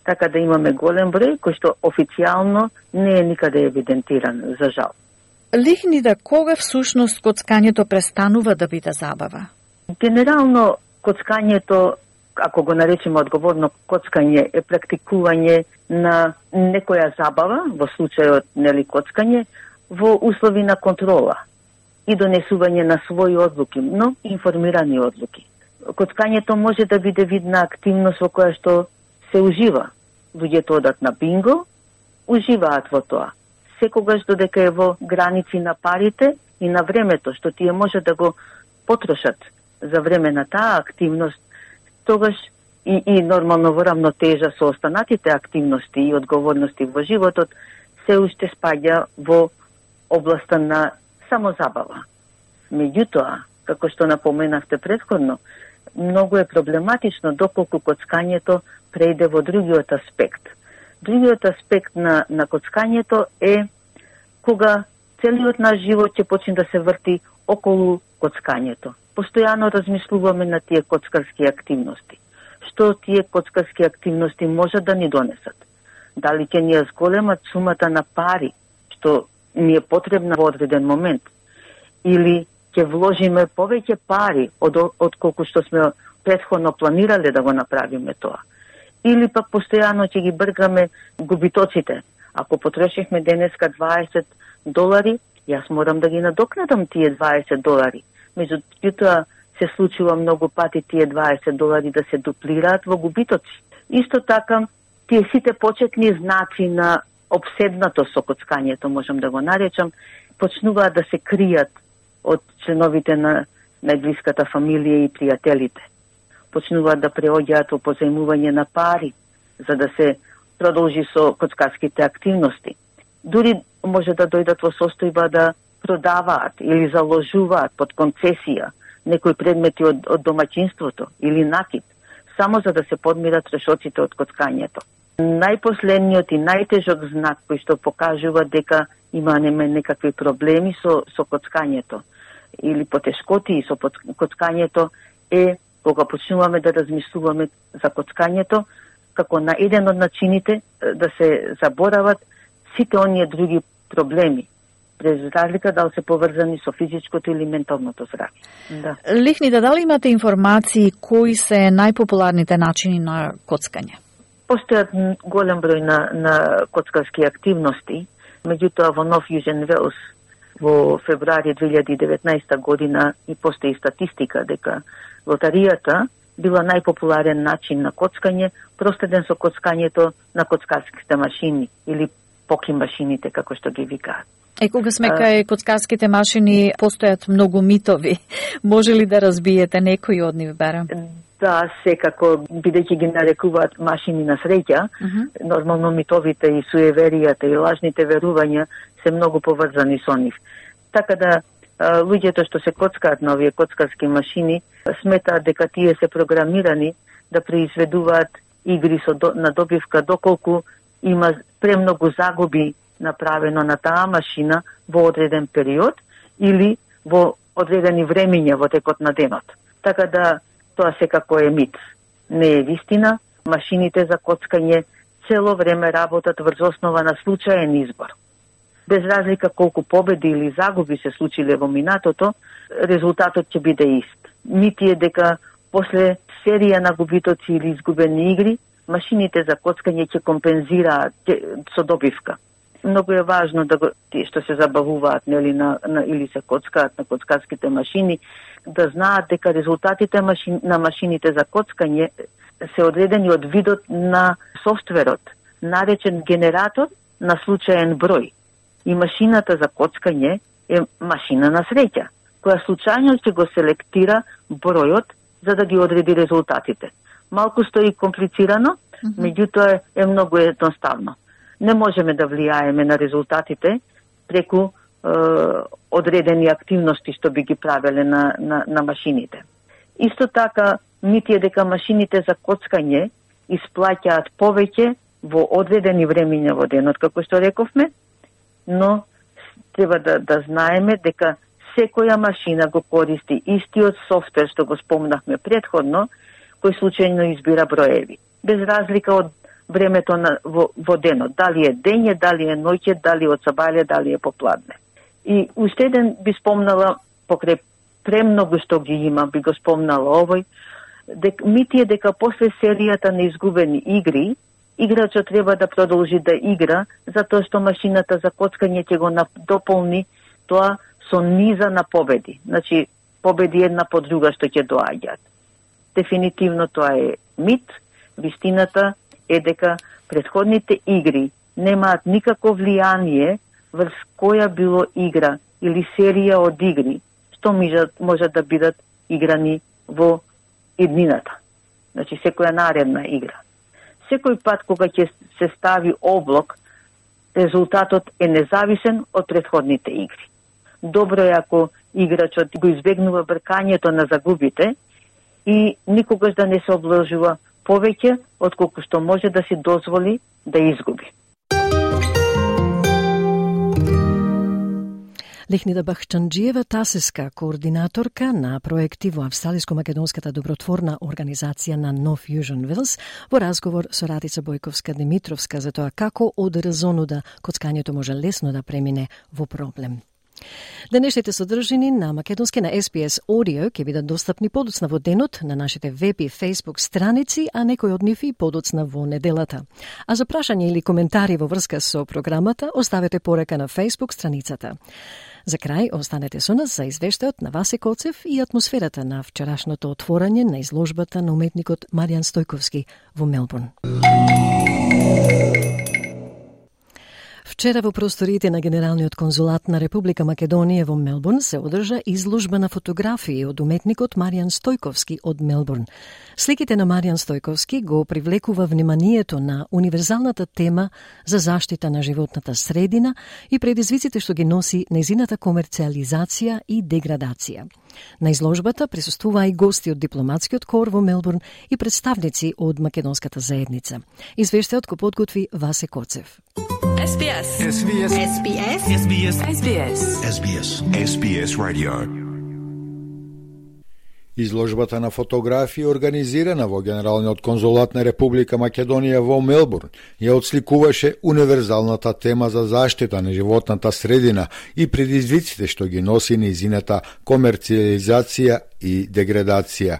Така да имаме голем број кој што официјално не е никаде евидентиран, за жал. Лихнида, кога всушност коцкањето престанува да биде забава? Генерално коцкањето, ако го наречеме одговорно коцкање, е практикување на некоја забава, во случајот нели коцкање, во услови на контрола и донесување на своји одлуки, но информирани одлуки. Коцкањето може да биде видна активност во која што се ужива. Луѓето одат на бинго, уживаат во тоа. Секогаш додека е во граници на парите и на времето што тие може да го потрошат за време на таа активност, тогаш и, и нормално во рамнотежа со останатите активности и одговорности во животот, се уште спаѓа во областа на самозабава. Меѓутоа, како што напоменавте претходно, многу е проблематично доколку коцкањето прејде во другиот аспект. Другиот аспект на, на коцкањето е кога целиот наш живот ќе почне да се врти околу коцкањето. Постојано размислуваме на тие коцкарски активности. Што тие коцкарски активности можат да ни донесат? Дали ќе ни ја зголемат сумата на пари, што ни е потребна во одреден момент? Или ќе вложиме повеќе пари од, од колку што сме претходно планирале да го направиме тоа? Или пак постојано ќе ги бргаме губитоците. Ако потрошихме денеска дваесет долари, јас морам да ги надокнадам тие дваесет долари. Меѓутоа се случува многу пати тие дваесет долари да се дуплираат во губитоци. Исто така, тие сите почетни знаци на обседнато со коцкањето, можам да го наречам, почнуваат да се кријат од членовите на најблиската фамилија и пријателите. Почнуваат да преоѓаат во позајмување на пари, за да се продолжи со коцкарските активности. Дури може да дојдат во состојба да продаваат или заложуваат под концесија некои предмети од, од домаќинството или накид, само за да се подмират трошоците од коцкањето. Најпоследниот и најтежок знак кој што покажува дека има некакви проблеми со, со коцкањето или потешкоти со коцкањето е кога почнуваме да размислуваме за коцкањето како на еден од начините да се заборават сите оние други проблеми, без разлика дали се поврзани со физичкото или менталното здравје. Да. Лихнида, дали имате информации кои се најпопуларните начини на коцкање? Постојат голем број на, на коцкарски активности, меѓутоа во No Fusion Wells во февруари две илјади и деветнаесета година и постои статистика дека лотаријата била најпопуларен начин на коцкање, проследен со коцкањето на коцкарските машини или поки машините, како што ги викаат. Е, кога сме кај коцкарските машини, постојат многу митови. Може ли да разбиете некој од нив, барем? Да, секако, бидејќи ги нарекуваат машини на среќа, uh-huh. нормално митовите и суеверијата и лажните верувања се многу поврзани со нив. Така да, луѓето што се коцкаат на овие коцкарски машини, сметаат дека тие се програмирани да произведуваат игри со до, на добивка доколку има премногу загуби направено на таа машина во одреден период или во одредени времиња во текот на денот. Така да тоа секако е мит. Не е вистина. Машините за коцкање цело време работат врз основа на случаен избор. Без разлика колку победи или загуби се случиле во минатото, резултатот ќе биде ист. Мит е дека после серија на губитоци или изгубени игри, машините за коцкање ќе компензираат со добивка. Многу е важно да го, тие што се забавуваат нели на, на или се коцкаат на коцкарските машини, да знаат дека резултатите машин, на машините за коцкање се одредени од видот на софтверот, наречен генератор на случаен број. И машината за коцкање е машина на среќа, која случајно ќе го селектира бројот за да ги одреди резултатите. Малку стои комплицирано, mm-hmm. меѓутоа е, е многу едноставно. Не можеме да влијаеме на резултатите преку е, одредени активности што би ги правеле на, на, на машините. Исто така, мит е дека машините за коцкање исплаќаат повеќе во одредени времиња во денот, како што рековме, но треба да, да знаеме дека секоја машина го користи истиот софтвер што го спомнахме предходно, кој случајно избира броеви. Без разлика од времето на, во, во денот. Дали е дење, дали е ноќе, дали од сабајле, дали е попладне. И уште еден би спомнала, покрај премногу што ги има, би го спомнала овој, дек, мит е дека после серијата на изгубени игри, играчот треба да продолжи да игра, затоа што машината за коцкање ќе го дополни тоа со низа на победи. Значи, победи една по друга што ќе доаѓаат. Дефинитивно тоа е мит. Вистината е дека претходните игри немаат никакво влијание врз која било игра или серија од игри што може да бидат играни во иднината. Значи, секоја наредна игра. Секој пат кога ќе се стави облок, резултатот е независен од претходните игри. Добро е ако играчот го избегнува бркањето на загубите и никогаш да не се обложува повеќе од колку што може да си дозволи да изгуби. Лехнида Бахчанџиева Тасеска, координаторка на проекти во Австралиско-македонската добротворна организација на No Fusion Wheels, во разговор со Радица Бојковска-Димитровска за тоа како од резонуда коцкањето може лесно да премине во проблем. Денешните содржини на македонски на Ес Би Ес Audio ќе бидат достапни подоцна во денот на нашите веб и Facebook страници, а некои од нив и подоцна во неделата. А за прашање или коментари во врска со програмата, оставете порека на Facebook страницата. За крај, останете со нас за извештајот на Васе Коцев и атмосферата на вчерашното отворање на изложбата на уметникот Маријан Стојковски во Мелбурн. Вчера во просториите на Генералниот конзулат на Република Македонија во Мелбурн се одржа изложба на фотографии од уметникот Маријан Стојковски од Мелбурн. Сликите на Маријан Стојковски го привлекува вниманието на универзалната тема за заштита на животната средина и предизвиците што ги носи нејзината комерцијализација и деградација. На изложбата присуствуваа и гости од дипломатскиот кор во Мелбурн и представници од македонската заедница. Извештајот го подготви Васе Коцев. Ес Би Ес. Ес Би Ес. Ес Би Ес. Ес Би Ес. Ес Би Ес. Ес Би Ес. Ес Би Ес Radio. Изложбата на фотографии организирана во Генералниот конзулат на Република Македонија во Мелбурн ја отсликуваше универзалната тема за заштита на животната средина и предизвиците што ги носи нејзината комерцијализација и деградација.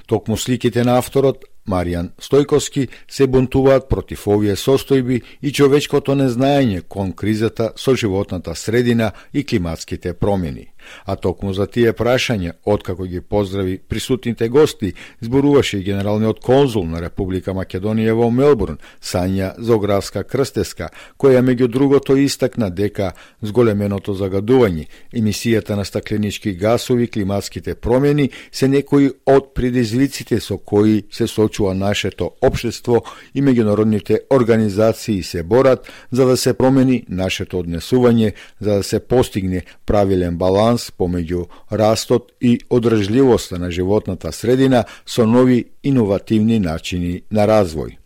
Токму сликите на авторот Маријан Стојковски се бунтуваат против овие состојби и човечкото незнаење кон кризата со животната средина и климатските промени. А токму за тие прашања, откако ги поздрави присутните гости, зборуваше и генералниот конзул на Република Македонија во Мелбурн, Сања Зографска Крстеска, која меѓу другото истакна дека зголеменото загадување, емисијата на стакленички гасови, климатските промени се некои од предизвиците со кои се сочува нашето општество и меѓународните организации се борат за да се промени нашето однесување, за да се постигне правилен баланс помеѓу растот и одржливоста на животната средина со нови иновативни начини на развој.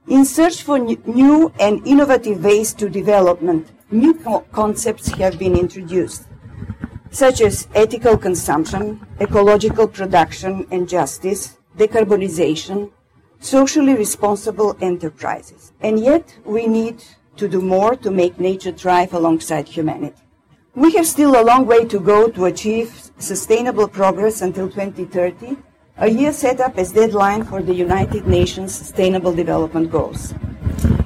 In search for new and innovative ways to development, new concepts have been introduced, such as ethical consumption, ecological production and justice, decarbonization, socially responsible enterprises. And yet we need to do more to make nature thrive alongside humanity. We have still a long way to go to achieve sustainable progress until twenty thirty, a year set up as deadline for the United Nations Sustainable Development Goals.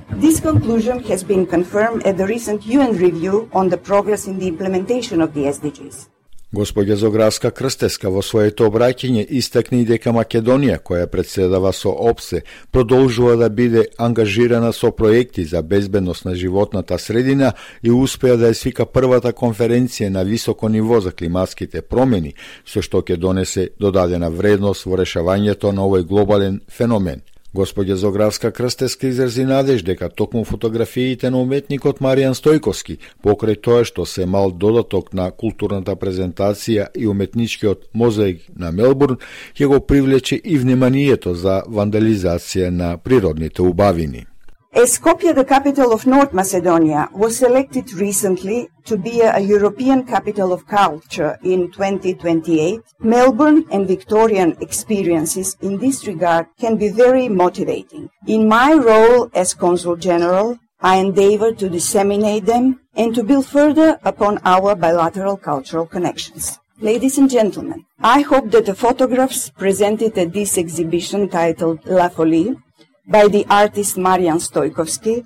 This conclusion has been confirmed at the recent U N review on the progress in the implementation of the S D Gs. Господја Зографска Крстеска во своето обраќање истакни дека Македонија, која председава со ОПСЕ, продолжува да биде ангажирана со проекти за безбедност на животната средина и успеа да ја свика првата конференција на високо ниво за климатските промени, со што ќе донесе додадена вредност во решавањето на овој глобален феномен. Господја Зографска Крстеска изрази надеж дека токму фотографиите на уметникот Маријан Стојковски, покрај тоа што се мал додаток на културната презентација и уметничкиот мозаик на Мелбурн, ќе го привлече и вниманието за вандализација на природните убавини. As Skopje, the capital of North Macedonia, was selected recently to be a European capital of culture in twenty twenty-eight, Melbourne and Victorian experiences in this regard can be very motivating. In my role as Consul General, I endeavour to disseminate them and to build further upon our bilateral cultural connections. Ladies and gentlemen, I hope that the photographs presented at this exhibition titled La Folie by the artist Marian Stojkovski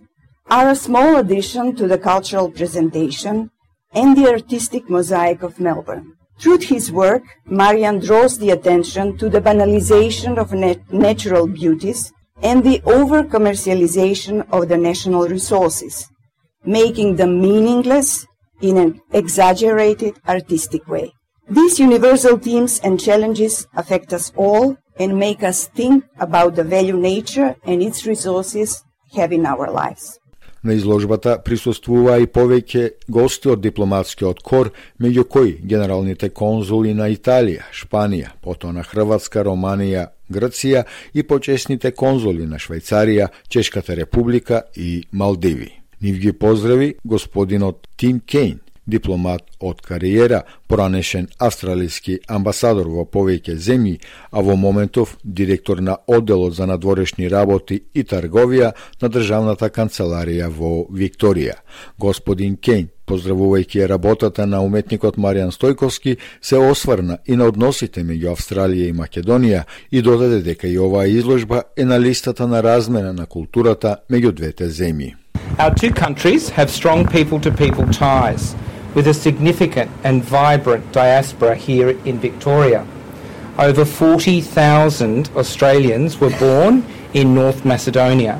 are a small addition to the cultural presentation and the artistic mosaic of Melbourne. Through his work, Marian draws the attention to the banalization of nat- natural beauties and the over-commercialization of the national resources, making them meaningless in an exaggerated artistic way. These universal themes and challenges affect us all and make us think about the value nature and its resources have in our lives. На изложбата присуствува и повеќе гости од дипломатскиот кор, меѓу кои генералните конзули на Италија, Шпанија, потоа на Хрватска, Романија, Грција и почесните конзули на Швајцарија, Чешката република и Малдиви. Нив ги поздрави господинот Тим Кейн, дипломат од кариера, поранешен австралиски амбасадор во повеќе земји, а во моментов директор на одделот за надворешни работи и трговија на државната канцеларија во Викторија. Господин Кейн, поздравувајќи работата на уметникот Маријан Стојковски, се осврна и на односите меѓу Австралија и Македонија и додаде дека и оваа изложба е на листата на размена на културата меѓу двете земји. Our two countries have strong people-to-people ties, with a significant and vibrant diaspora here in Victoria. Over forty thousand Australians were born in North Macedonia,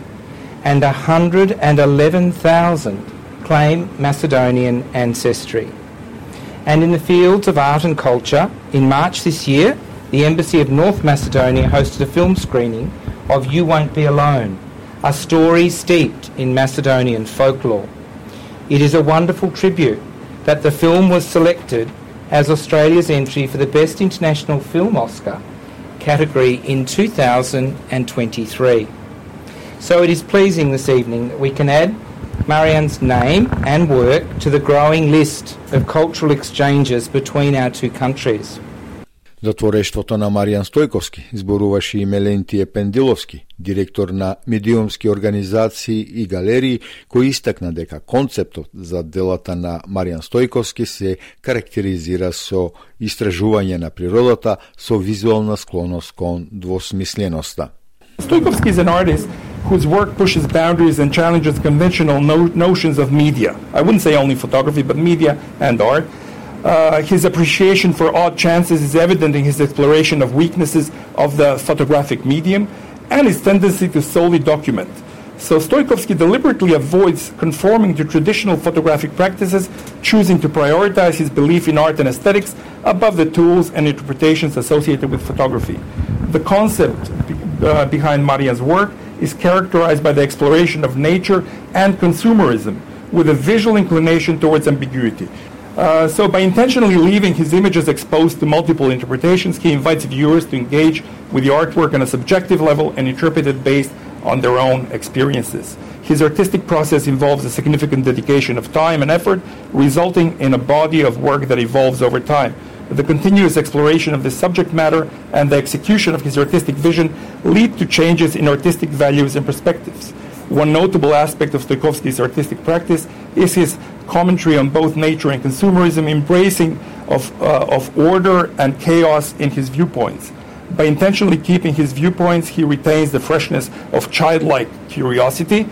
and one hundred eleven thousand claim Macedonian ancestry. And in the fields of art and culture, in March this year, the Embassy of North Macedonia hosted a film screening of You Won't Be Alone, a story steeped in Macedonian folklore. It is a wonderful tribute that the film was selected as Australia's entry for the Best International Film Oscar category in two thousand twenty-three. So it is pleasing this evening that we can add Marian's name and work to the growing list of cultural exchanges between our two countries. За творештвото на Маријан Стојковски зборуваше и Мелентије Пендиловски, директор на медиумски организации и галерии, кој истакна дека концептот за делата на Маријан Стојковски се карактеризира со истражување на природата со визуална склоност кон двосмисленоста. Stoikovsky is an artist whose work pushes boundaries and challenges conventional no- notions of media. I wouldn't say only photography, but media and art. Uh, his appreciation for odd chances is evident in his exploration of weaknesses of the photographic medium and his tendency to solely document. So Stoikovsky deliberately avoids conforming to traditional photographic practices, choosing to prioritize his belief in art and aesthetics above the tools and interpretations associated with photography. The concept uh, behind Marian's work is characterized by the exploration of nature and consumerism, with a visual inclination towards ambiguity. Uh, so by intentionally leaving his images exposed to multiple interpretations, he invites viewers to engage with the artwork on a subjective level and interpret it based on their own experiences. His artistic process involves a significant dedication of time and effort, resulting in a body of work that evolves over time. The continuous exploration of this subject matter and the execution of his artistic vision lead to changes in artistic values and perspectives. One notable aspect of Stoikovsky's artistic practice is his commentary on both nature and consumerism, embracing of, uh, of order and chaos in his viewpoints. By intentionally keeping his viewpoints, he retains the freshness of childlike curiosity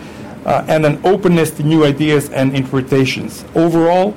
uh, and an openness to new ideas and interpretations. Overall,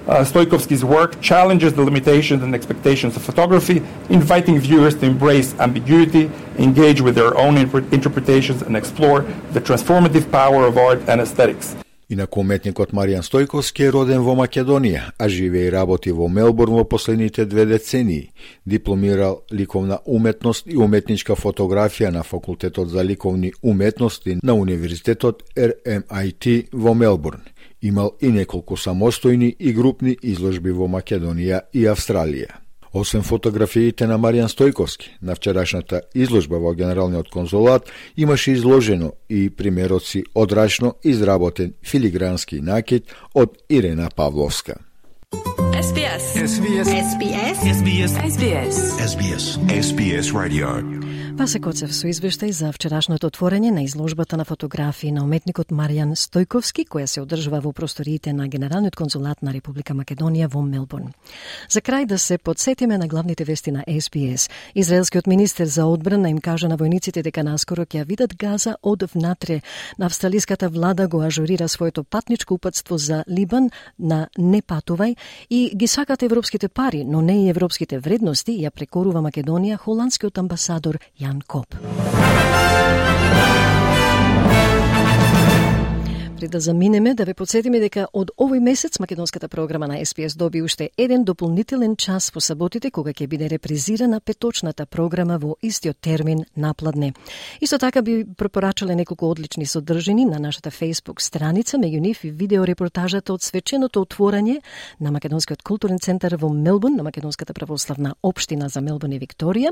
uh, Stoikovsky's work challenges the limitations and expectations of photography, inviting viewers to embrace ambiguity, engage with their own inter- interpretations, and explore the transformative power of art and aesthetics. Инаку уметникот Маријан Стојковски е роден во Македонија, а живее и работи во Мелбурн во последните две децении. Дипломирал ликовна уметност и уметничка фотографија на Факултетот за ликовни уметности на Универзитетот Р М I T во Мелбурн. Имал и неколку самостојни и групни изложби во Македонија и Австралија. Освен фотографиите на Маријан Стојковски, на вчерашната изложба во Генералниот конзулат имаше изложено и примероци од рачно изработен филигрански накид од Ирена Павловска. S B S. S B S. S B S. S B S. S B S. S B S. S B S Radio. Васе Коцев со извештај за вчерашното отворање на изложбата на фотографии на уметникот Маријан Стојковски, која се одржува во просториите на Генералниот конзулат на Република Македонија во Мелбурн. За крај да се подсетиме на главните вести на S B S. Израелскиот министер за одбрана им кажа на војниците дека наскоро ќе видат Газа од внатре. На австралиската влада го ажурира своето патничко упатство за Либан на не патувај и ги сакат европските пари, но не и европските вредности, ја прекорува Македонија холандскиот амбасадор Јан Коп. Пред да заминеме, да ве подсетиме дека од овој месец македонската програма на S B S доби уште еден дополнителен час во саботите, кога ќе биде репризирана петочната програма во истиот термин напладне. Исто така би препорачале неколку одлични содржини на нашата Facebook страница, меѓу нив и видеорепортажата од свеченото отворање на Македонскиот културен центар во Мелбурн, на Македонската православна општина за Мелбурн и Викторија.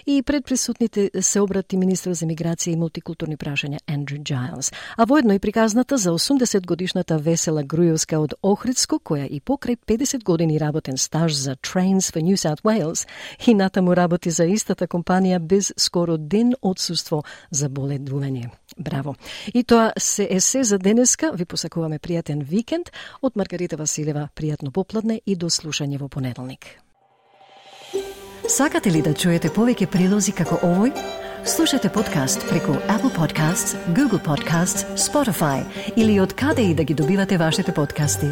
И пред присутните се обрати министер за миграција и мултикултурни прашања Андрю Джайлс. А воедно и приказната за осумдесет годишната Весела Груевска од Охридско, која и покрај педесет години работен стаж за Trains for New South Wales и натаму работи за истата компанија без скоро ден отсуство за боледување. Браво! И тоа се е се за денеска. Ви посакуваме пријатен викенд. Од Маргарита Василева, пријатно попладне и до слушање во понеделник. Сакате ли да чуете повеќе прилози како овој? Слушате подкаст преку Apple Podcasts, Google Podcasts, Spotify или од каде и да ги добивате вашите подкасти.